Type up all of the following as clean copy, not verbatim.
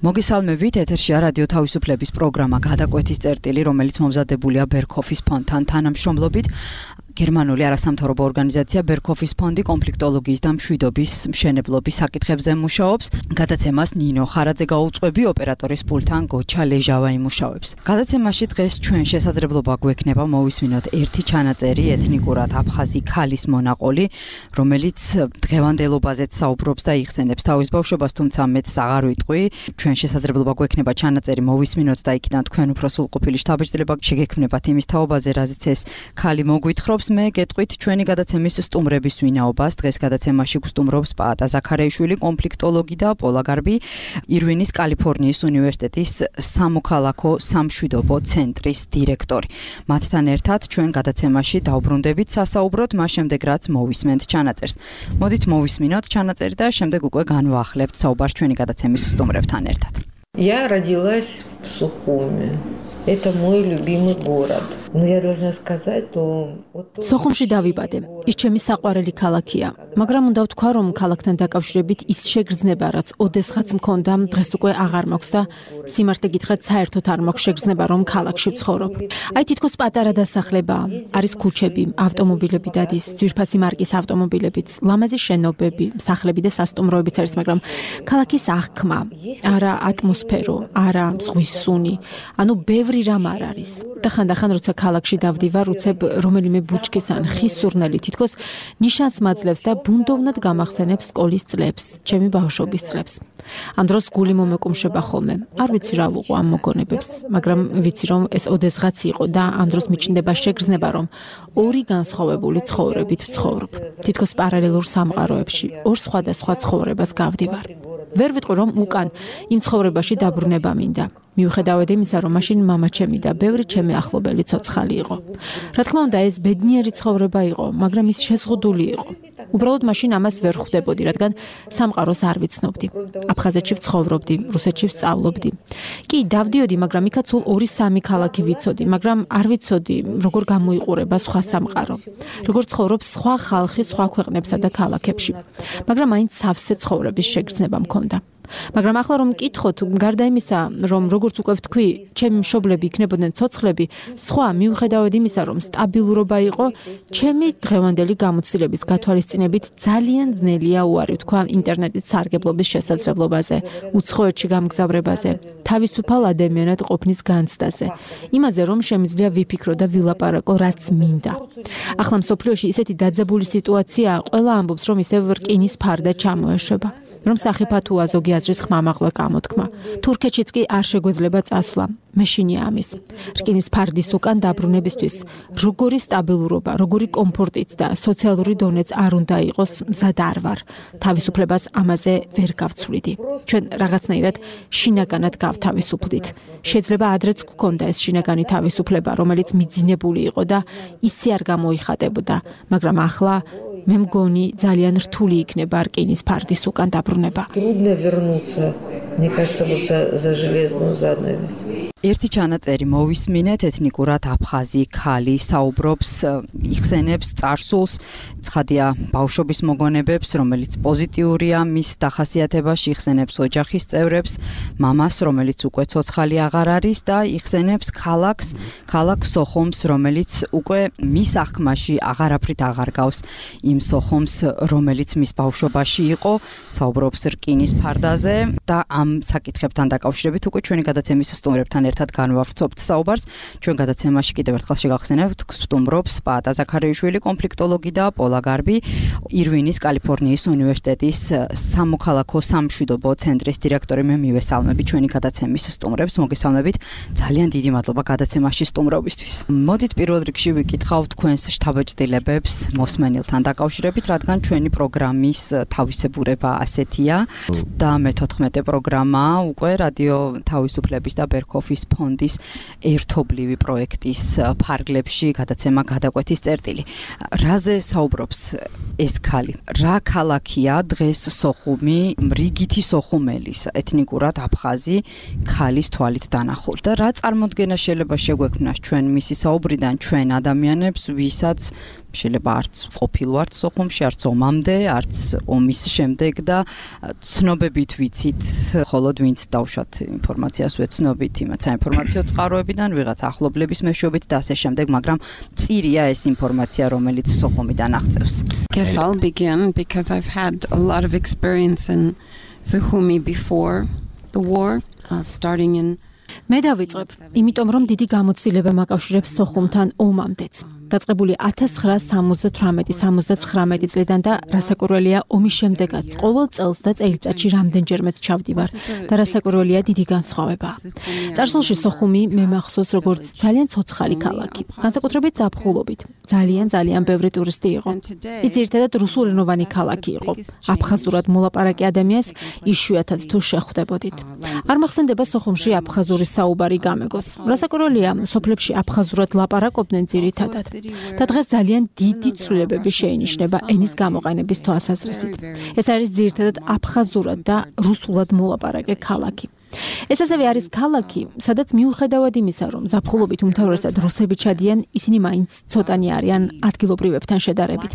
მოგესალმებით, ეთერშია რადიო თავისუფლების პროგრამა გადაკვეთის წერტილი, რომელიც მომზადებულია ბერქოფის ფონდთან თანამშრომლობით. გერმანული არასამთავრობო ორგანიზაცია ბერქოფის ფონდი კონფლიქტოლოგიის და მშვიდობის მშენებლობის საკითხებზე მუშაობს. გადაცემას ნინო ხარაძე გაუძღვები, ოპერატორის პულტთან გოჩა ლეჟავა იმუშავებს. გადაცემაში დღეს ჩვენ შესაძლებლობა გვექნება მოვისმინოთ ერთი ჩანაწერი ეთნიკურად აფხაზი ქალის მონაყოლი, რომელიც დღევანდელობაზეც საუბრობს და იხსენებს თავის ბავშვობას, თუმცა მეც აღარ ვიტყვი. ჩვენ შესაძლებლობა გვექნება ჩანაწერი მოვისმინოთ და იქიდან თქვენ უფრო სრულყოფილი შთაბეჭდილება შეგექმნებათ იმის თაობაზე, რაზეც ეს ქალი მოგვითხრობს. მე გეტყვით ჩვენი გადაცემის სტუმრების ვინაობას. დღეს გადაცემაში გვსტუმრობს პაატა ზაქარეიშვილი, კონფლიქტოლოგი და პოლაგარბი, ირვინის კალიფორნიის უნივერსიტეტის სამოქალაქო სამშვიდობო ცენტრის დირექტორი. მათთან ერთად ჩვენ გადაცემაში დავბრუნდებით სასაუბროდ, მას შემდეგ რაც მოვისმენთ ჩანაწერს. მოდით მოვისმინოთ ჩანაწერი და შემდეგ უკვე განვაახლებთ საუბარს ჩვენი გადაცემის სტუმრებთან ერთად. Я родилась в Сухуми. Это мой любимый город. Но я должна сказать, то სოხუმში დავიბადე. ის ჩემი საყვარელი ქალაქია. მაგრამ უნდა ვთქვა, რომ ქალაქთან დაკავშირებით ის შეგრძნება, რაც ოდესღაც მქონდა, დღეს უკვე აღარ მაქვს და სიმართლე გითხრათ, საერთოდ არ მაქვს შეგრძნება, რომ ქალაქში ვცხოვრობ. აი თითქოს პატარა დასახლება, არის ქუჩები, ავტომობილები დადის, ძვირფასი მარკის ავტომობილებიც, ლამაზი შენობები, სახლები და სასტუმროებიც არის, მაგრამ ქალაქის აღქმა, არა ატმოსფერო, არა ზღვის სუნი, ანუ ბევრი რამ არ არის. და ხანდახან როცა ქალაქში დავდივარ, უცებ რომელიმე ბუჩქის ან ხის სურნელი თითქოს ნიშანს მაძლევს და ბუნდოვნად გამახსენებს სკოლის წლებს, ჩემი ბავშვობის წლებს. ამ დროს გული მომეკუმშება ხოლმე. არ ვიცი რა ვუყო ამ მოგონებებს, მაგრამ ვიცი რომ ეს ოდესღაც იყო და ამ დროს მიჩნდება შეგრძნება, რომ ორი განსხვავებული ცხოვრებით ვცხოვრობ. თითქოს პარალელურ სამყაროებში, ორ სხვადასხვა ცხოვრებას გავდივარ. ვერ ვიტყვი რომ უკან იმ ცხოვრებაში დაბრუნება მინდა. მიუხედავად იმისა, რომ მაშინ მამაჩემი და ბევრი ჩემი ახლობელი ცოცხალი იყო. რა თქმა უნდა, ეს ბედნიერი ცხოვრება იყო, მაგრამ ის შეზღუდული იყო. უბრალოდ მაშინ ამას ვერ ხვდებოდი, რადგან სამყაროს არ ვიცნობდი. აფხაზეთში ვცხოვრობდი, რუსეთში ვსწავლობდი. კი, დავდიოდი, მაგრამ იქაც სულ 2-3 ქალაქი ვიცოდი, მაგრამ არ ვიცოდი, როგორ გამოიყურება სხვა სამყარო. როგორ ცხოვრობს სხვა ხალხი სხვა ქვეყნებსა და ქალაქებში. მაგრამ მაინც სავსე ცხოვრების შეგრძნება მქონდა. მაგრამ ახლა რომ მკითხოთ, გარდა იმისა, რომ როგორც უკვე ვთქვი, ჩემი მშობლები იქნებოდნენ ცოცხლები, სხვა მიუხედავად იმისა, რომ სტაბილურობა იყო, ჩემი დღევანდელი გამოცდილების გათვალისწინებით ძალიან ძნელია უარი თქვა ინტერნეტის სარგებლობის შესაძლებლობაზე, უცხოეთში გამგზავრებაზე, თავისუფალ ადამიანად ყოფნის განცდაზე, იმაზე, რომ შემიძლია ვიფიქრო და ვილაპარაკო, რაც მინდა. ახლა მსოფლიოში ისეთი დაძაბული სიტუაციაა, ყველა ამბობს, რომ ისევ რკინის ფარდა ჩამოეშვება. რომ სახიფათოა ზოგი აზრის ხმამაღლა გამოთქმა. თურქეთშიც კი არ შეგვეძლება წასვლა. მეშინია ამის. რკინის ფარდის უკან დაბრუნებისთვის როგორი სტაბილურობა, როგორი კომფორტიც და სოციალური დონეც არ უნდა იყოს, მზად არ ვარ. თავისუფლებას ამაზე ვერ გავცვლიდი. ჩვენ რაღაცნაირად შინაგანად გავთავისუფლდით. შეიძლება ადრეც გქონდა ეს შინაგანი თავისუფლება, რომელიც მიძინებული იყო და ისე არ გამოიხატებოდა, მაგრამ ახლა მე მგონი ძალიან რთული იქნება რკინის ფარდის უკან დაბრუნება. Трудно вернуться. Мне кажется, вот за железную занавес. ერთი ჩანაწერი მოვისმინეთ, ეთნიკურად აფხაზი ქალი საუბრობს, იხსენებს წარსულს, ცხადია ბავშვობის მოგონებებს, რომელიც პოზიტიურია მის დახასიათებაში, იხსენებს ოჯახის წევრებს, მამას, რომელიც უკვე ცოცხალი აღარ არის და იხსენებს ქალაქ სოხუმს, რომელიც უკვე მის აღქმაში აღარაფრით აღარ გავს იმ სოხუმს, რომელიც მის ბავშვობაში იყო, საუბრობს რკინის ფარდაზე და ამ საკითხებთან დაკავშირებით უკვე ჩვენი გადაცემის სტუმრებთან ერთად განვავრცობთ საუბარს. ჩვენ გადაცემაში კიდევ ერთხელ შეგახსენებთ, სტუმრობს პაატა ზაქარეიშვილი, კონფლიქტოლოგი და პოლაგარბი, ირვინის კალიფორნიის უნივერსიტეტის სამოქალაქო სამშვიდობო ცენტრის დირექტორი. მე მივესალმები ჩვენი გადაცემის სტუმრებს, მოგესალმებით. ძალიან დიდი მადლობა გადაცემაში სტუმრობისთვის. მოდით პირველ რიგში ვიკითხავთ თქვენს შთაბეჭდილებებს მოსმენილთან დაკავშირებით, რადგან ჩვენი პროგრამის თავისებურება ასეთია და მე-14 პროგრამა უკვე რადიო თავისუფლების და ბერქოფის ფონდის ერთობლივი პროექტის ფარგლებში გადაცემა გადაკვეთის წერტილი. რაზე საუბრობს ეს ქალი? რა ქალაქია დღეს სოხუმი, რიგითი სოხუმელის, ეთნიკურად აფხაზი ქალის თვალით დანახული და რა წარმოდგენა შეიძლება შეგვექმნას ჩვენ მისი საუბრიდან ჩვენ ადამიანებს, ვისაც შეიძლება არც ყოფილ ვართ სოხუმში, არც ომამდე, არც ომის შემდეგ და ცნობებით ვიცით, ხოლოდ ვინც დავშვათ ინფორმაციას ვეცნობით იმათ საინფორმაციო წყაროებიდან, ვიღაც ახლობლების მეშვეობით და ასე შემდეგ, მაგრამ მწირია ეს ინფორმაცია, რომელიც სოხუმიდან აღწევს. Guess I'll begin because I've had a lot of experience in Sukhumi before the war, starting in მე დავიწყებ, იმიტომ რომ დიდი გამოცდილება მაკავშირებს სოხუმთან ომამდეც. დაწყებული 1978-79 წლიდან და რასაკვირველია ომის შემდეგაც ყოველ წელს და წელიწადში რამდენჯერმეც ჩავდივარ და რასაკვირველია დიდი განსხვავებაა. წარსულში სოხუმი მე მახსოვს როგორც ძალიან ცოცხალი ქალაქი, განსაკუთრებით ზაფხულობით. ძალიან ბევრი ტურისტი იყო. ის ძირითადად რუსულენოვანი ქალაქი იყო. აფხაზურად მოლაპარაკე ადამიანს იშვიათად თუ შეხვდებოდით. არ მახსენდება სოხუმში აფხაზური საუბარი გამეგოს. რასაკვირველია, სოფლებში აფხაზურად ლაპარაკობდნენ ძირითადად. და დღეს ძალიან დიდი ცვლილებები შეინიშნება ენის გამოყენების თვალსაზრისით. ეს არის ძირითადად აფხაზურად და რუსულად მოლაპარაკე ქალაქი. ეს ასევე არის ქალაქი, სადაც მიუხედავად იმისა, რომ ზაფხულობით უმთავრესად რუსები ჩადიან, ისინი მაინც ცოტანი არიან ადგილობრივებთან შედარებით.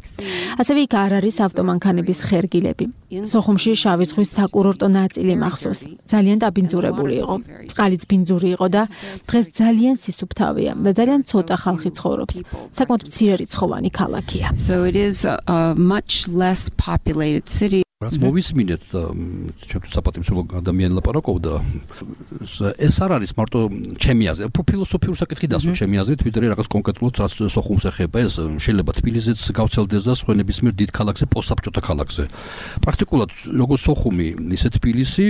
ასევე იქ არ არის ავტომანქანების ხერგილები. სოხუმში შავი ზღვის საკურორტო ნაწილი მახსოვს. ძალიან დაბინძურებული იყო. წყალიც ბინძური იყო და დღეს ძალიან სისუფთავეა და ძალიან ცოტა ხალხი ცხოვრობს. საკმაოდ მცირერიცხოვანი ქალაქია. So it is a much less populated city. რაც მოვისმინეთ და ჩემთვის საპატიმცემლო ადამიანი ლაპარაკობდა, ეს არ არის მარტო ჩემი აზრი, ფილოსოფიური საკითხი დასვა ჩემი აზრით, ვიდრე რაღაც კონკრეტულად რაც სოხუმს ეხება, ეს შეიძლება თბილისიც გავცელდეს და სხვა ნებისმიერ დიდ ქალაქზე, პოსტსაბჭოთა ქალაქზე. პრაქტიკულად როგორც სოხუმი, ისე თბილისი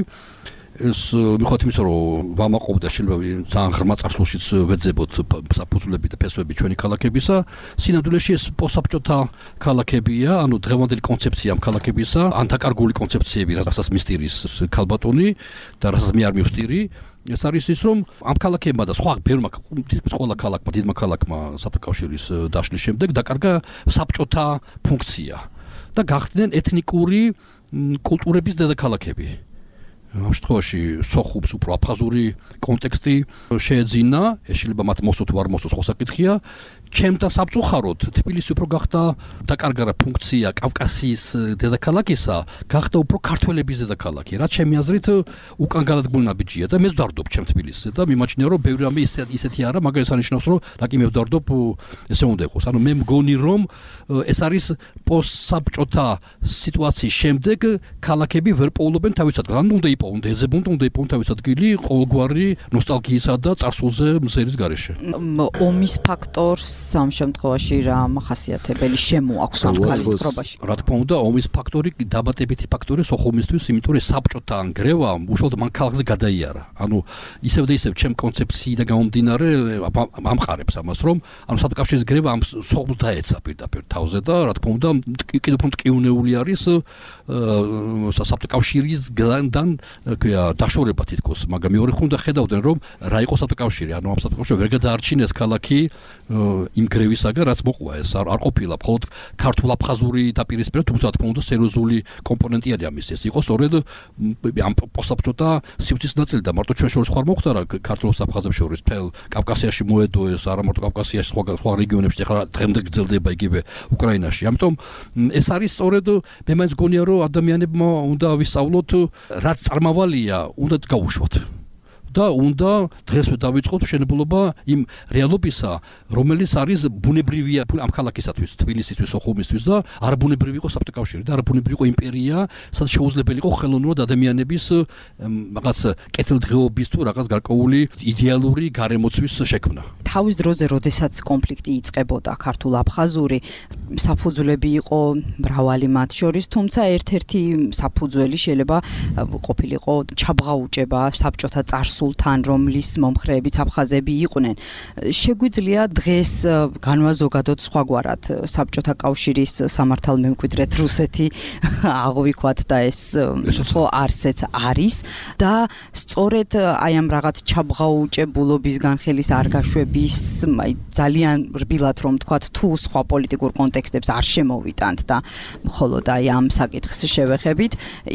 ეს მიხოთ იმის რომ ვამაყობდა შეიძლება ძალიან ღრმა წარსულშიც ვეძებოთ საფუძვლები და ფესვები ჩვენი ქალაქებისა სინამდვილეში ეს პოსტსაბჭოთა ქალაქებია ანუ დღევანდელი კონცეფცია ამ ქალაქებისა ანტაკარგული კონცეფციები რასაც მისტირის ქალბატონი და რასაც მე არ მივსტირი ეს არის ის რომ ამ ქალაქებმა და სხვა ბევრმა ყველა ქალაქმა დიდმა ქალაქმა საბჭოთა კავშირის დაშლის შემდეგ დაკარგა საბჭოთა ფუნქცია და გახდნენ ეთნიკური კულტურების დედაქალაქები ამ შემთხვევაში სოხუმს უფრო აფხაზური კონტექსტი შეეძინა, ეს შეიძლება მათ მოსო თუ არ მოსო სხვა საკითხია. ჩემთან სამწუხაროდ თბილისი უფრო გახდა დაკარგა ფუნქცია კავკასიის დედაქალაქისა, გახდა უფრო ქართველების დედაქალაქი. რაც ჩემი აზრით უკან გადადგმული ნაბიჯია და მე ვდარდობ ჩემ თბილისზე და მიმაჩნია რომ ბევრი რამე ისეთი არა, მაგრამ ეს ანიშნავს რომ რაკი მე ვდარდობ ესე უნდა იყოს. ანუ მე მგონი რომ ეს არის პოსტსაბჭოთა სიტუაციის შემდეგ ქალაქები ვერ პოულობენ თავის ადგილს. ანუ უნდა იპოვონ, უნდა იპოვონ თავის ადგილი ყოველგვარი ნოსტალგიისა და წარსულზე მზერის გარეშე. ომის ფაქტორს ამ შემთხვევაში რა მახასიათებელი შემოაქვს ამ ქალის თხრობაში? რა თქმა უნდა, ომის ფაქტორი დამატებითი ფაქტორი სოხუმისთვის, იმიტომ რომ საბჭოთა გრევა უშუალოდ მან ქალაქზე გადაიარა. ანუ ისევ და ისევ ჩემ კონცეფციიდან გამომდინარე ამყარებს ამას, რომ ანუ საბჭოთა კავშირის გრევა ამ სოხუმს დაეცა პირდაპირ თავზე და რა თქმა უნდა, კიდევ უფრო მტკივნეული არის საბჭოთა კავშირისგან დაშორება თითქოს, მაგრამ მეორე ხუნდა ხედავდნენ რომ რა იყო საბჭოთა კავშირი, ანუ ამ საბჭოთა კავშირი ვერ გადაარჩინეს ქალაქი იმ გრევისაგან რაც მოყვა ეს არ ყოფილა მხოლოდ ქართულ-აფხაზური დაპირისპირება, თუმცა თქმა უნდა სერიოზული კომპონენტი არის ამის ეს იყო სწორედ ამ პოსტსაბჭოთა სივრცის ნაწილი და მარტო ჩვენ შორის ხარ მოხდა რა ქართულ-აფხაზებს შორის თელ კავკასიაში მოედო ეს არა მარტო კავკასიაში სხვა რეგიონებში ახლა დღემდე გრძელდება იგივე უკრაინაში. ამიტომ ეს არის სწორედ მე მაინც გონია რომ ადამიანებმა უნდა ვისწავლოთ რაც წარმავალია უნდა გაუშვათ. და უნდა დღესვე დავიწყოთ მშენებლობა იმ რეალობისა, რომელიც არის ბუნებრივია ამ ქალაქისათვის, თბილისისთვის, სოხუმისთვის და არაბუნებრივი იყო საბჭოთა კავშირი და არაბუნებრივი იყო იმპერია, სადაც შეუძლებელი იყო ხელოვნურად ადამიანების რაღაც კეთილდღეობის თუ რაღაც გარკვეული იდეალური გარემოცვის შექმნა. თავის დროზე, როდესაც კონფლიქტი იწყებოდა ქართულ-აფხაზური, საფუძვლები იყო მრავალი მათ შორის, თუმცა ერთ-ერთი საფუძველი შეიძლება ყოფილიყო ჩაბღაუჭება საბჭოთა წარსულთან, რომლის მომხრეებიც აფხაზები იყვნენ. შეგვიძლია დღეს განვაზოგადოთ სხვაგვარად საბჭოთა კავშირის სამართალმემკვიდრედ რუსეთი აღვიქვათ და ეს ხო არსეც არის და სწორედ აი ამ რაღაც ჩაბღაუჭებულობის განხილის არ გაშვების ძალიან რბილად რომ თქვათ თუ სხვა პოლიტიკურ კონტექსტებს არ შემოვიტანთ და მხოლოდ აი ამ საკითხს შევეხებით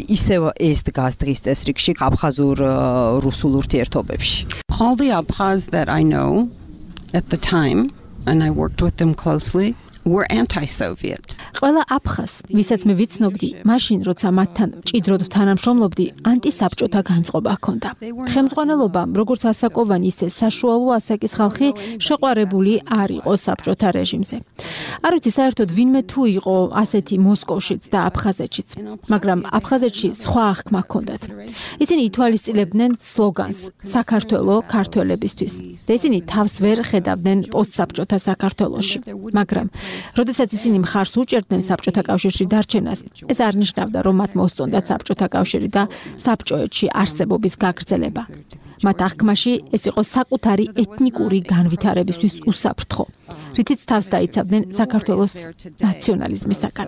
ისევ ეს დგას დღის წესრიგში აფხაზურ რუსულ ურთიერთობებში. All the Abkhaz that I know at the time and I worked with them closely were anti-Soviet. ყველა აფხაზ, ვისაც მე ვიცნობდი, მაშინ როცა მათთან მჭიდროდ თანამშრომლობდი, ანტისაბჭოთა განწყობა ჰქონდა. ხელმძღვანელობამ, როგორც ასაკოვანი, ისე საშუალო ასაკის ხალხი შეყვარებული არ იყო საბჭოთა რეჟიმზე. არ ვიცი საერთოდ ვინმე თუ იყო ასეთი მოსკოვშიც და აფხაზეთშიც, მაგრამ აფხაზეთში სხვა აღქმა ჰქონდათ. ისინი ითვალისწინებდნენ სლოგანს საქართველო ქართველებისთვის და ისინი თავს ვერ ხედავდნენ პოსტსაბჭოთა საქართველოში. მაგრამ როდესაც ისინი მხარს უჭერდნენ საბჭოთა კავშირში დარჩენას, ეს არ ნიშნავდა, რომ მათ მოსწონდათ საბჭოთა კავშირი და საბჭოეთში არსებობის გაგრძელება. მათ აღქმაში ეს იყო საკუთარი ეთნიკური განვითარებისთვის უსაფრთხო, რითიც თავს დაიცავდნენ საქართველოს ნაციონალიზმისაგან.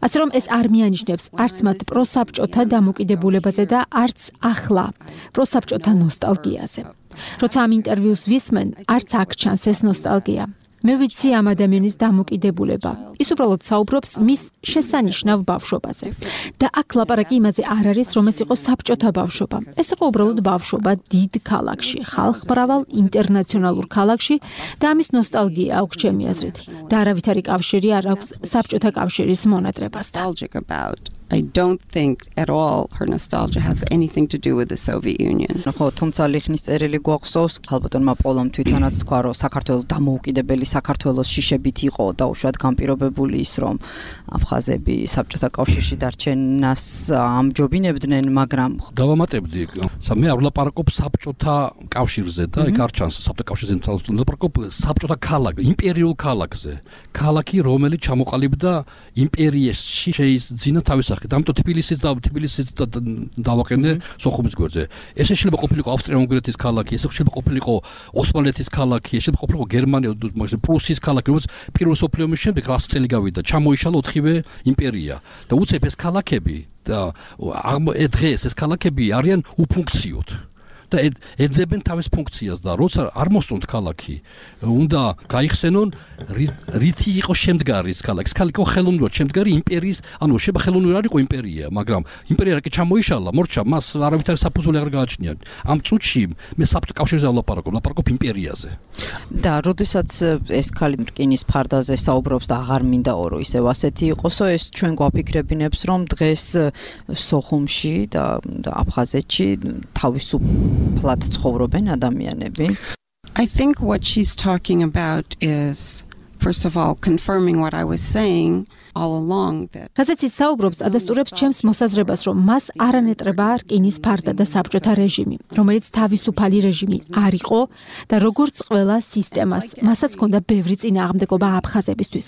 ასე რომ ეს არ მიანიშნებს არც მათ პროსაბჭოთა დამოკიდებულებაზე და არც ახლა პროსაბჭოთა ნოსტალგიაზე. როცა ამ ინტერვიუს ვისმენ, არც აქ ჩანს ეს ნოსტალგია. მე ვიცი ამ ადამიანის დამოკიდებულება. ის უბრალოდ საუბრობს მის შესანიშნავ ბავშვობაზე. და აქ ლაპარაკი იმაზე არ არის, რომ ეს იყო საბჭოთა ბავშვობა. ეს იყო უბრალოდ ბავშვობა დიდ ქალაქში, ხალხმრავალ ინტერნაციონალურ ქალაქში და ამის ნოსტალგია აქვს ჩემი აზრით. და არავითარი კავშირი არ აქვს საბჭოთა კავშირის მონატრებასთან. I don't think at all her nostalgia has anything to do with the Soviet Union. ხო, თუმცა ლიხნის წერილი გვაქვს, ხალბატონმა პოლომ თვითონაც თქვა, რომ საქართველოს დამოუკიდებელი საქართველოს შიშებით იყო და უშუალოდ განპირობებული ის, რომ აფხაზები საბჭოთა კავშირში დარჩენას ამჯობინებდნენ, მაგრამ დავამატებდი, მე არ ვლაპარაკობ საბჭოთა კავშირზე და იქ არ ჩანს საბჭოთა კავშირზე ვლაპარაკობ საბჭოთა ქალაქ, იმპერიულ ქალაქზე. ქალაქი, რომელიც ჩამოყალიბდა იმპერიაში შეიძინა თავის ამიტომ თბილისის დავაყენე სოხუმის გვერდზე. ეს შეიძლება ყოფილიყო ავსტრია-უნგრეთის ქალაქი, ეს შეიძლება ყოფილიყო ოსმალეთის ქალაქი, ეს შეიძლება ყოფილიყო გერმანია, პრუსიის ქალაქი, რომელიც პირველ მსოფლიო ომის შემდეგ 100 წელი გავიდა, ჩამოიშალა 4-ვე იმპერია და უცებ ეს ქალაქები და დღეს ეს ქალაქები არიან უფუნქციოდ. და ეძებენ თავის ფუნქციას და როცა არ მოსწონთ ქალაქი, უნდა გაიხსენონ რითი იყო შემდგარი ეს ქალაქი. ეს ქალაქი იყო ხელოვნურად შემდგარი იმპერიის, ანუ შეიძლება ხელოვნურად არ იყო იმპერია, მაგრამ იმპერია რაკი ჩამოიშალა, მორჩა, მას არავითარი საფუძველი აღარ გააჩნია. ამ წუთში მე საბჭოთა კავშირზე ვლაპარაკობ იმპერიაზე. და როდესაც ეს ქალი რკინის ფარდაზე საუბრობს და აღარ მინდაო, რომ ისევ ასეთი იყოსო, ეს ჩვენ გვაფიქრებინებს, რომ დღეს სოხუმში და აფხაზეთში თავისუფლად ცხოვრობენ ადამიანები. I think what she's talking about is, first of all, confirming what I was saying all along that რაზეც ის საუბრობს, ადასტურებს ჩემს მოსაზრებას, რომ მას არანეტრება რკინის ფარდა და საბჭოთა რეჟიმი, რომელიც თავისუფალი რეჟიმი არ იყო და როგორც ყველა სისტემას, მასაც ჰქონდა ბევრი წინააღმდეგობა აფხაზებისთვის.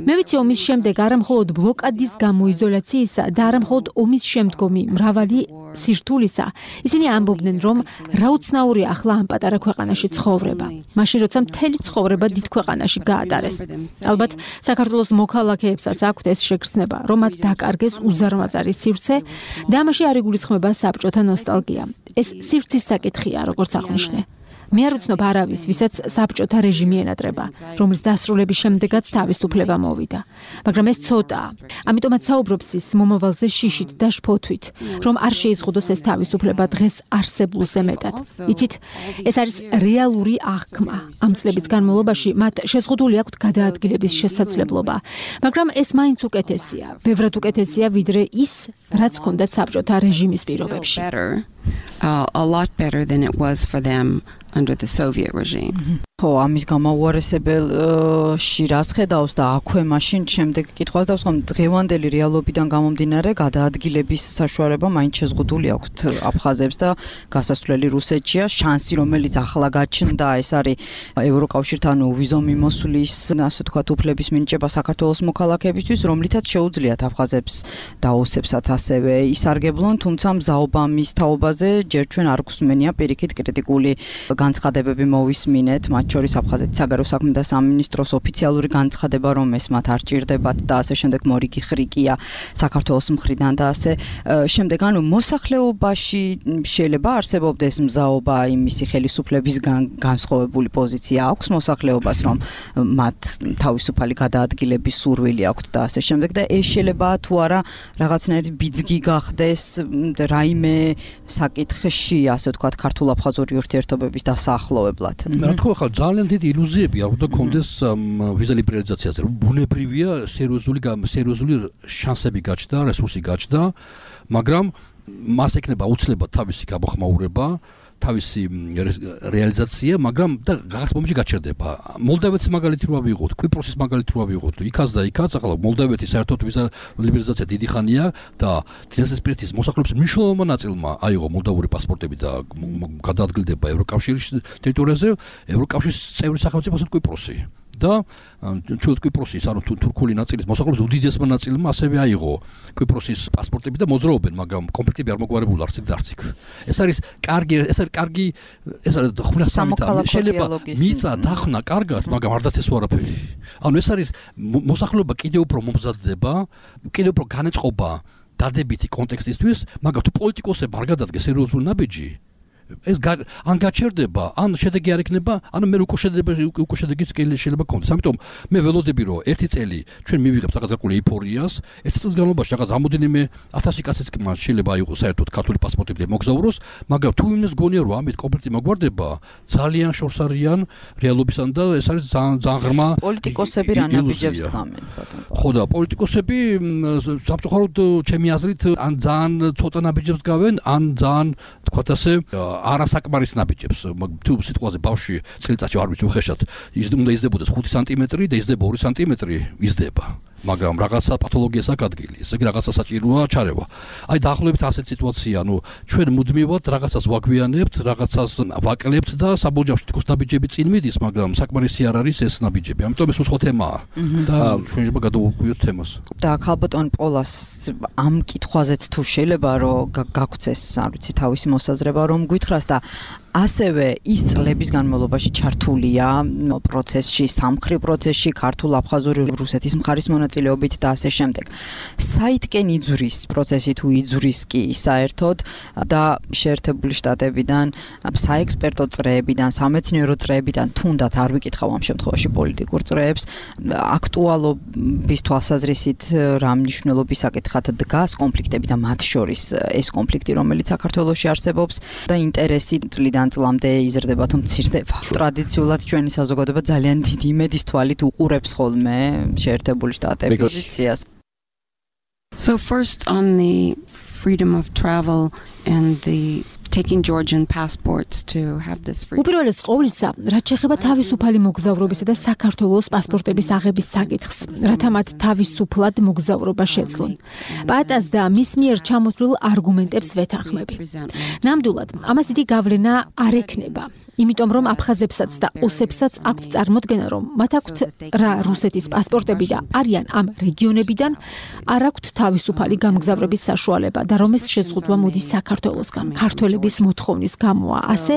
მე ვიცი ომის შემდეგ არა მხოლოდ ბლოკადის გამოიზოლაციისა და არა მხოლოდ ომის შემდგომი მრავალი სირთულისა, ისინი ამბობდნენ, რომ რა უცნაური ახლა ამ პატარა ქვეყანაში ცხოვრება. მაშინ როცა მთელი ცხოვრება დიდ ქვეყანაში გაატარეს. ალბათ საქართველოს მოქალაქეებსაც აქვთ ეს შეგრძნება, რომ მათ დაკარგეს უზარმაზარი სივრცე და ამაში არ იგულისხმება საბჭოთა ნოსტალგია. ეს სივრცის საკითხია, როგორც აღნიშნე. მე არ ვცნობ არავის, ვისაც საბჭოთა რეჟიმი ენატრება, რომლის დასრულების შემდეგაც თავისუფლება მოვიდა. მაგრამ ეს ცოტაა. ამიტომაც საუბრობს ის მომავალზე შიშით და შფოთვით, რომ არ შეიზღუდოს ეს თავისუფლება დღეს არსებულზე მეტად. იცით, ეს არის რეალური აღქმა. ამ წლების განმავლობაში მათ შეზღუდული აქვთ გადაადგილების შესაძლებლობა, მაგრამ ეს მაინც უკეთესია, ბევრად უკეთესია ვიდრე ის, რაც ჰქონდათ საბჭოთა რეჟიმის პირობებში. A lot better than it was for them under the Soviet regime. ხო, ამის გამაუარესებელში რას ხედავს და აქვე მაშინ შემდეგ კითხვას დავსვამ, დღევანდელი რეალობიდან გამომდინარე გადაადგილების საშუალება მაინც შეზღუდული აქვთ აფხაზებს და გასასვლელი რუსეთშია, შანსი რომელიც ახლა გაჩნდა, ეს არის ევროკავშირთან ვიზო მიმოსვლის, ასე ვთქვათ, უფლების მინიჭება საქართველოს მოქალაქეებისთვის, რომლითაც შეუძლიათ აფხაზებს და ოსებსაც ასევე ისარგებლონ, თუმცა მზაობა მის თაობაზე ჯერ ჩვენ არ გვსმენია პირიქით კრიტიკული განცხადებები მოვისმინეთ, შორის აფხაზეთის საგარეო საქმეთა სამინისტროს ოფიციალური განცხადება, რომ ეს მათ არ ჭირდებათ და ასე შემდეგ მორიგი ხრიკია საქართველოს მხრიდან და ასე შემდეგ, ანუ მოსახლეობაში შეიძლება არსებობდეს მზაობა იმისი ხელისუფლების განსხვავებული პოზიცია აქვს მოსახლეობას, რომ მათ თავისუფალი გადაადგილების სურვილი აქვთ და ასე შემდეგ და ეს შეიძლება თუ არა რაღაცნაირი ბიძგი გახდეს რაიმე საკითხში, ასე ვთქვათ, ქართულ-აფხაზური ურთიერთობების დასაახლოვებლად. რა თქმა უნდა, ძალიან დიდი ილუზიები არ უნდა კონდეს ვიზა ლიბერალიზაციაზე. ბუნებრივია სერიოზული შანსები გაჩნდა, რესურსი გაჩნდა, მაგრამ მას ექნება უცლებად თავისი გამოხმაურება, თავისი რეალიზაცია, მაგრამ და რაღაც მომენტში გაჩერდება. მოლდავეთის მაგალითი რო ავიღოთ, კვიპროსის მაგალითი რო ავიღოთ, იქაც და იქაც, ახლა მოლდავეთის საერთოდ ვიზა ლიბერალიზაცია დიდი ხანია და დინასტიისპირეთის მოსახლეობის მნიშვნელოვანმა ნაწილმა აიღო მოლდავური პასპორტები და გადაადგილდება ევროკავშირის ტერიტორიაზე, ევროკავშირის წევრი სახელმწიფოსა კვიპროსი. და ჩვენ კვიპროსის ანუ თურქული ნაწილის მოსახლეობის უდიდესმა ნაწილმა ასევე აიღო კვიპროსის პასპორტები და მოძრაობენ, მაგრამ კომპლექტები არ მოგვარებული არც იქ და არც იქ. ეს არის კარგი ხუნა სამიტა შეიძლება მიწა დახნა კარგად, მაგრამ არ დათესო არაფერი. ანუ ეს არის მოსახლეობა კიდევ უფრო მომზადდება, კიდევ უფრო განეწყობა დადებითი კონტექსტისთვის, მაგრამ თუ პოლიტიკოსები არ გადადგეს სერიოზული ნაბიჯი ეს ან გაჩერდება, ან შედეგი არ იქნება, ან მე უკვე შედეგიც შეიძლება კონდეს. ამიტომ მე ველოდები რომ ერთი წელი ჩვენ მივიღებთ რაღაც ზარკული ეიფორიას, ერთი წლის განმავლობაში რაღაც ამოდენიმე 1000 კაციც კი მას შეიძლება აიღოს საერთოდ ქართული პასპორტები და მოგზაუროს, მაგრამ თუ იმის გონია რომ ამით კონფლიქტი მოგვარდება, ძალიან შორს არიან რეალობისთან და ეს არის ძალიან ღრმა პოლიტიკოსები რა ნაბიჯებს დგამენ ბატონო. ხო და პოლიტიკოსები სამწუხაროდ ჩემი აზრით ან ძალიან ცოტა ნაბიჯებს დგავენ, ან ძალიან თქვათ ასე არასაკმარის ნაბიჯებს. თუ სიტყვაზე ბავშვი წელიწადში არ ვიცი უხეშად უნდა იზრდებოდეს 5 სანტიმეტრი და იზრდება 2 სანტიმეტრი იზრდება. მაგრამ რაღაცა პათოლოგიას აქვს ადგილი. ესე იგი რაღაცა საჭიროა ჩარევა. აი დაახლოებით ასეთ სიტუაცია, ანუ ჩვენ მუდმივად რაღაცას ვაგვიანებთ, რაღაცას ვაკლებთ და საბოლოოში თქოს ნაბიჯები წინ მიდის, მაგრამ საკმარისი არ არის ეს ნაბიჯები. ამიტომ ეს უცხო თემაა და ჩვენ შეიძლება გადავუხვიოთ თემას. და ქალბატონ პოლას ამ კითხვაზეც თუ შეიძლება რომ გაგცეს, არ ვიცი, თავისი მოსაზრება რომ გითხრას და ასევე ის წლების განმავლობაში ჩართულია პროცესში, სამხრი პროცესში, ქართულ-აფხაზური რუსეთის მხარის მონაწილეობით და ასე შემდეგ. საითკენ იძვრის პროცესი თუ იძვრის კი საერთოდ და შეერთებული შტატებიდან, საექსპერტო წრეებიდან, სამეცნიერო წრეებიდან, თუნდაც არ ვიკითხავ ამ შემთხვევაში პოლიტიკურ წრეებს, აქტუალობის თვალსაზრისით რა მნიშვნელობის საკითხად დგას კონფლიქტები და მათ შორის ეს კონფლიქტი, რომელიც საქართველოში არსებობს და ინტერესი წლიდან წლამდე იზრდება თუ მცირდება. ტრადიციულად ჩვენი საზოგადოება ძალიან დიდი იმედის თვალით უყურებს ხოლმე შეერთებული შტატების პოზიციას. So first on the freedom of travel and the taking Georgian passports to have this free. უპირველეს ყოვლისა, რაც შეეხება თავისუფალი მოგზაურობისა და საქართველოს პასპორტების აღების საკითხს, რათა მათ თავისუფლად მოგზაურობა შეძლონ. პატას და მის მიერ ჩამოთვლილ არგუმენტებს ვეთანხმები. ნამდვილად, ამას დიდი გავლენა არ ექნება, იმიტომ რომ აფხაზებსაც და ოსებსაც აქვთ წარმოდგენა, რომ მათ აქვთ რა რუსეთის პასპორტები და არიან ამ რეგიონებიდან, არ აქვთ თავისუფალი გამგზავრების საშუალება და რომ ეს შეზღუდვა მოდის საქართველოსგან. ქართველების მოთხოვნის გამოა ასე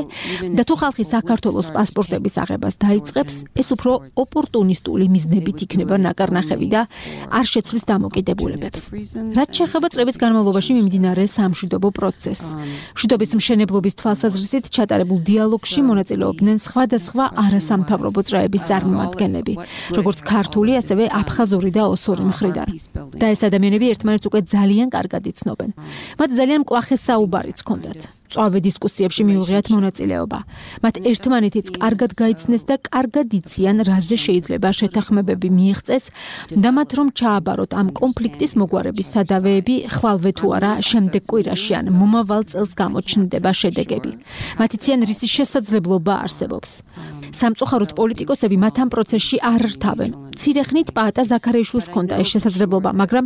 და თუ ხალხი საქართველოს პასპორტების აღებას დაიწყებს, ეს უფრო ოპორტუნისტული მიზნებით იქნება ნაკარნახევი და არ შეცვლის დამოკიდებულებებს. რაც შეეხება წლების განმავლობაში მიმდინარე სამშვიდობო პროცესს. მშვიდობის მშენებლობის თვალსაზრისით ჩატარებულ დიალოგში მონაწილეობდნენ სხვადასხვა არასამთავრობო წრეების წარმომადგენლები, როგორც ქართული, ასევე აფხაზური და ოსური მხრიდან. და ეს ადამიანები ერთმანეთს უკვე ძალიან კარგად იცნობენ. მათ ძალიან მკვახე საუბარიც ჰქონდათ. წვავე დისკუსიებში მიუღიათ მონაწილეობა. მათ ერთმანეთიც კარგად გაიცნეს და კარგად იციან, რაზე შეიძლება შეთანხმებები მიიღწეს და მათ რომ ჩააბაროთ ამ კონფლიქტის მოგვარების სადავეები, ხვალვე თუ არა შემდეგ კვირაში ან მომავალ წელს გამოჩნდება შედეგები. მათ იციან, რისი შესაძლებლობა არსებობს. სამწუხაროდ პოლიტიკოსები მათ ამ პროცესში არ რთავენ. მცირე ხნით პაატა ზაქარიაშვილს ჰქონდა ეს შესაძლებლობა, მაგრამ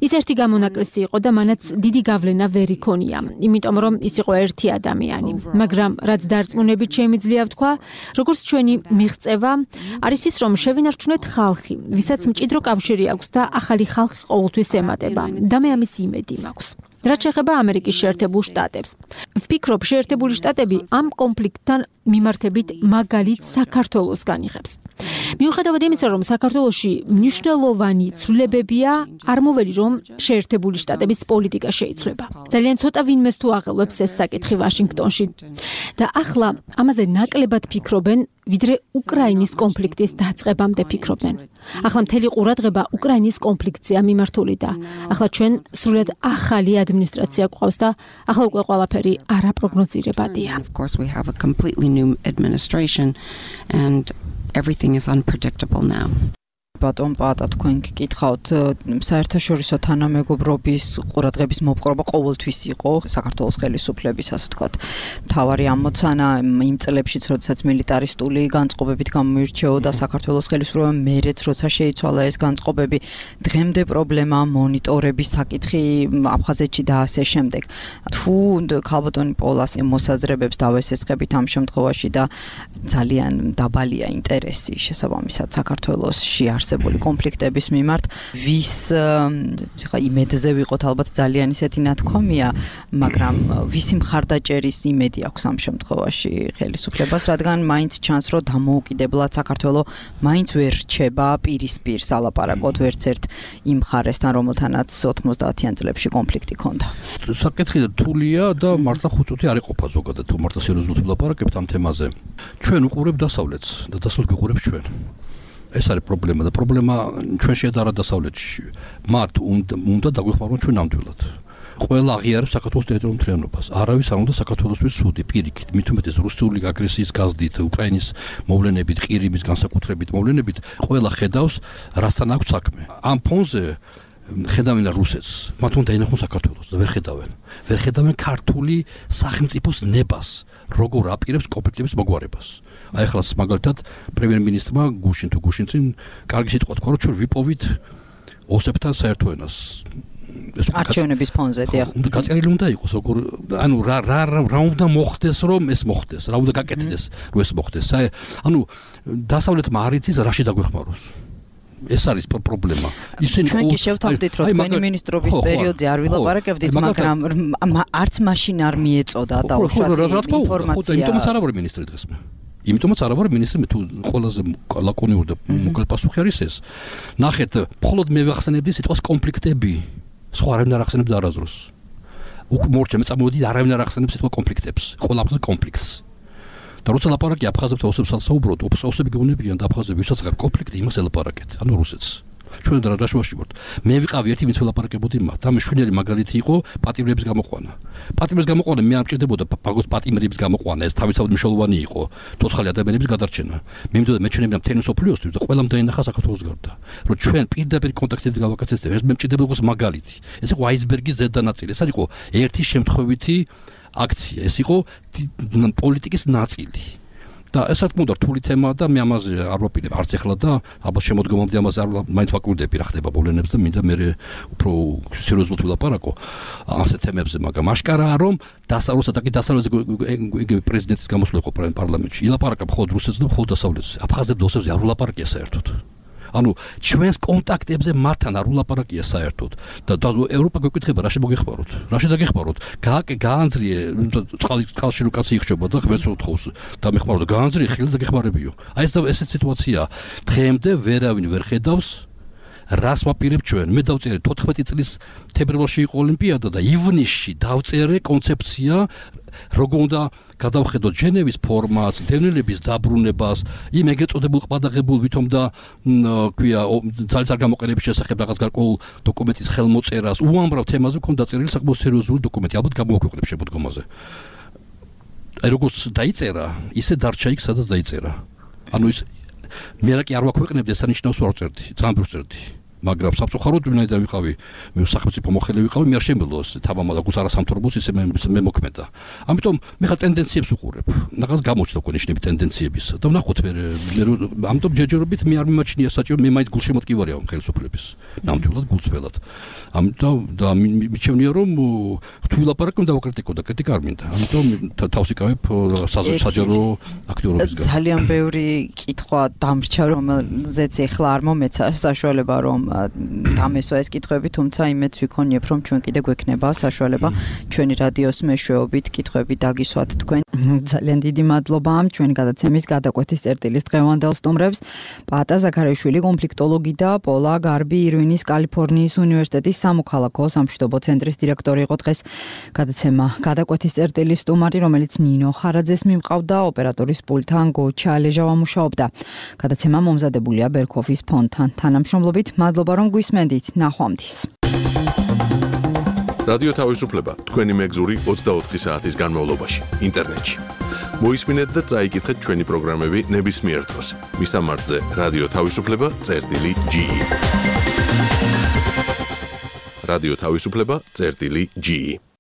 ის ერთი გამონაკლისი იყო და მანაც დიდი გავლენა ვერ იქონია, იმიტომ რომ ის იყო ერთი ადამიანი. მაგრამ რაც დარწმუნებით შემიძლია ვთქვა, როგორც ჩვენი მიღწევა არის ის, რომ შევინარჩუნეთ ხალხი, ვისაც მჭიდრო კავშირი აქვს და ახალი ხალხი ყოველთვის ემატება და მე ამის იმედი მაქვს. რაც შეეხება ამერიკის შეერთებულ შტატებს. ვფიქრობ, შეერთებული შტატები ამ კონფლიქტთან მიმართებით მაგალითს საქართველოს განიღებს. მიუხედავად იმისა, რომ საქართველოში მნიშვნელოვანი ცვლილებებია, არ მოველი რომ შეერთებული შტატების პოლიტიკა შეიცვლება. ძალიან ცოტა ვინმეს თუ აღელვებს ეს საკითხი ვაშინგტონში. და ახლა ამაზე ნაკლებად ფიქრობენ, ვიდრე უკრაინის კონფლიქტის დაწყებამდე ფიქრობდნენ. ახლა მთელი ყურადღება უკრაინის კონფლიქტზეა მიმართული და ახლა ჩვენ სრულად ახალი ადმინისტრაცია გვყავს და ახლა უკვე ყველაფერი არაპროგნოზირებადია. Of course we have a completely new administration and everything is unpredictable now. ბატონ პატა თქვენ გიკითხავთ საერთაშორისო თანამეგობრობის ყურადღების მოპყრობა ყოველთვის იყო საქართველოს ხელისუფლების ასე ვთქვათ მთავარი ამოცანა იმ წლებშიც როდესაც მილიტარისტული განწყობებით გამოირჩეოდა საქართველოს ხელისუფლება მერეც როცა შეიცვალა ეს განწყობები დღემდე პრობლემა მონიტორების საკითხი აფხაზეთში და ასე შემდეგ თუ ქალბატონი პოლას მოსაზრებებს დავესესხებით ამ შემთხვევაში და ძალიან დაბალია ინტერესი შესაბამისად საქართველოსში არსებული კონფლიქტების მიმართ ვის ხა იმედზე ვიყოთ ალბათ ძალიან ისეთი ნათქვამია მაგრამ ვისი მხარდაჭერის იმედი აქვს ამ შემთხვევაში ხელისუფლებას რადგან მაინც ჩანს რომ დამოუკიდებლად საქართველო მაინც ვერ რჩება პირისპირ სალაპარაკოდ ვერც ერთ იმ მხარესთან რომელთანაც 90-იან წლებში კონფლიქტი ჰქონდა საკითხი რთულია და მართლა ხუწუთი არ იყოფა ზოგადად თუ მართლა სერიოზულად ვლაპარაკებთ ამ თემაზე ჩვენ უყურებთ დასავლეთს და დასავლეთ გიყურებს ჩვენ ეს არის პრობლემა და პრობლემა ჩვენ შეადარა დასავლეთში მათ უნდა დაგვეხმაროთ ჩვენ ნამდვილად ყველა აღიარებს საქართველოს ტერიტორიულ მთლიანობას არავის არ უნდა საქართველოსთვის სუდი პირიქით მით უმეტეს რუსული აგრესიის გაზდით უკრაინის მოვლენებით ყირიმის განსაკუთრებით მოვლენებით ყველა ხედავს რასთან აქვს საქმე ამ ფონზე ხედავენ რუსეთს მათ უნდა ენახონ საქართველოს და ვერ ხედავენ ქართული სახელმწიფოს ნებას როგორ აპირებს კონფლიქტების მოგვარებას აი ახლა მაგალითად პრემიერ-მინისტრმა გუშინ კარგი სიტყვა თქვა რომ ჩვენ ვიპოვით ოსებთან საერთო ენას არჩევნების ფონზე დიახ გაწერილი უნდა იყოს როგორ ანუ რა უნდა მოხდეს რომ ეს მოხდეს რა უნდა გაკეთდეს რომ ეს მოხდეს ანუ დასავლეთმა არ იცის რაში დაგვეხმაროს ეს არის პრობლემა. ისინი ჩვენ კი შევთავაზეთ რომ თქვენი მინისტრობის პერიოდზე არ ვილაპარაკებდით, მაგრამ არც მაშინ არ მიეწოდა დაუშვათ ინფორმაცია. იმიტომაც არ ვარ მინისტრი დღეს მე. იმიტომაც არ ვარ მინისტრი მე თუ ყველაზე ლაკონიური და მოკლე პასუხი არის ეს. ნახეთ, მხოლოდ მე ვახსენებდი სიტყვას კონფლიქტები. სხვა არავინ არ ახსენებდა არასდროს. მორჩა მე წამოვედი არავინ არ ახსენებს სიტყვა კონფლიქტებს. ყველაფერზე კონფლიქტს. და როცა ლაპარაკი აფხაზებთან ოსებსაც საუბრობთ, ოსები გეუბნებიან და აფხაზები ვისაც გაქვს კონფლიქტი, იმას ელაპარაკეთ. ანუ რუსეთს. ჩვენ რა შუაში ვართ. მე ვიყავი ერთი ვინც ველაპარაკებოდი მათ. და მშვენიერი მაგალითი იყო პატიმრების გამოყვანა. პატიმრების გამოყვანა მე ამჭირდებოდა პაგოს პატიმრების გამოყვანა. ეს თავისთავად მნიშვნელოვანი იყო ცოცხალი ადამიანების გადარჩენა. მე მინდოდა მეჩვენებინა მთელი მსოფლიოსთვის და ყველამ დაინახა საქართველოს გარდა. რომ ჩვენ პირდაპირ კონტაქტები გავაკეთეთ. ეს მე მჭირდებოდა როგორც მაგალითი. ეს იყო აისბერგის ზედა ნაწილი. ეს იყო ერთი შემთხვევითი აქცია. ეს იყო პოლიტიკის ნაწილი. და ესაც მოდა რთული თემაა და მე ამაზე არ ვაპირებ არც ეხლა და ალბათ შემოდგომამდე ამაზე არ მაინც ვაკურდები რა ხდება მოვლენებს და მინდა მე უფრო სერიოზულად ვილაპარაკო ასეთ თემებზე მაგრამ აშკარაა რომ დასავლეთსა და კი დასავლეთზე პრეზიდენტის გამოსვლა იყო პარლამენტში ილაპარაკა მხოლოდ რუსეთს და მხოლოდ დასავლეთზე აფხაზებს ოსებს არ ვილაპარაკია საერთოდ ანუ ჩვენს კონტაქტებზე მათთან არ ვილაპარაკია საერთოდ და ევროპა გვეკითხება რა შემოგეხმაროთ რა შედაგეხმაროთ გაანძრიე წყალში რო კაცი იხშობა და ხმებს უთხოს და მეხმარო და გაანძრიე ხელი და გეხმარებიო აი ესეთ სიტუაცია დღემდე ვერავინ ვერ ხედავს რას ვაპირებ ჩვენ მე დავწერე 14 წლის თებერვალში იყო ოლიმპიადა და ივნისში დავწერე კონცეფცია როგორ უნდა გადავხედოთ ჟენევის ფორმატს, დევნილების დაბრუნებას, იმ ეგრეთ წოდებულ ყბადაღებულ ვითომ და ქვია ძალის არ გამოყენების შესახებ რაღაც გარკვეულ დოკუმენტის ხელმოწერას, უამრავ თემაზე მქონდა დაწერილი საკმაოდ სერიოზული დოკუმენტი, ალბათ გამოვაქვეყნებ შემოდგომაზე. აი როგორც დაიწერა, ისე დარჩა იქ, სადაც დაიწერა. ანუ ის მე რა კი არ ვაქვეყნებდი, ეს ანიშნავს რომ არ წერდი, ძალიან ბევრს წერდი. მაგრამ სამწუხაროდ ვინაიდან ვიყავი მე სახელმწიფო მოხელე ვიყავი მე არ შემიძლია თამამად გუს არასამთავრობოს ისე მე მოქმედა ამიტომ მე ხა ტენდენციებს უყურებ რაღაც გამოჩნდა კონიჩნები ტენდენციების და ვნახოთ მე ამიტომ ჯერჯერობით მე არ მიმაჩნია საჭირო მე მაინც გულშემატკივარია ამ ხელისუფლების ნამდვილად გულწრფელად ამიტომ და მიჩვენია რომ ღვთვილაპარაკი უნდა ვაკრიტიკო და კრიტიკა არ მინდა ამიტომ თავს იკავებ საჯარო აქტიურობისგან ძალიან ბევრი კითხვა დამრჩა რომელზეც ეხლა არ მომეცა საშუალება რომ დამესვა ეს კითხვები, თუმცა იმედს ვიქონიებ, რომ ჩვენ კიდე გვექნება საშუალება ჩვენი რადიოს მეშვეობით კითხვები დაგისვათ თქვენ. ძალიან დიდი მადლობა ჩვენი გადაცემის გადაკვეთის წერტილის დღევანდელ სტუმრებს. პატა ზაქარიაშვილი, კონფლიქტოლოგი და პოლა გარბი ირვინის კალიფორნიის უნივერსიტეტის სამოქალაქო სამშვიდობო ცენტრის დირექტორი იყო დღეს. გადაცემა გადაკვეთის წერტილის სტუმარი, რომელიც ნინო ხარაძეს მიმყავდა, ოპერატორის პულტთან გოჩა ალეჟავა მუშაობდა. გადაცემა მომზადებულია ბერქოფის ფონდთან თანამშრომლობით. მადლობა რომ გვისმენდით. ნახვამდის. რადიო თავისუფლება თქვენი მეგზური 24 საათის განმავლობაში ინტერნეტში. მოისმინეთ და წაიკითხეთ ჩვენი პროგრამები ნებისმიერ დროს. მისამართზე რადიო თავისუფლება.ge. რადიო თავისუფლება.ge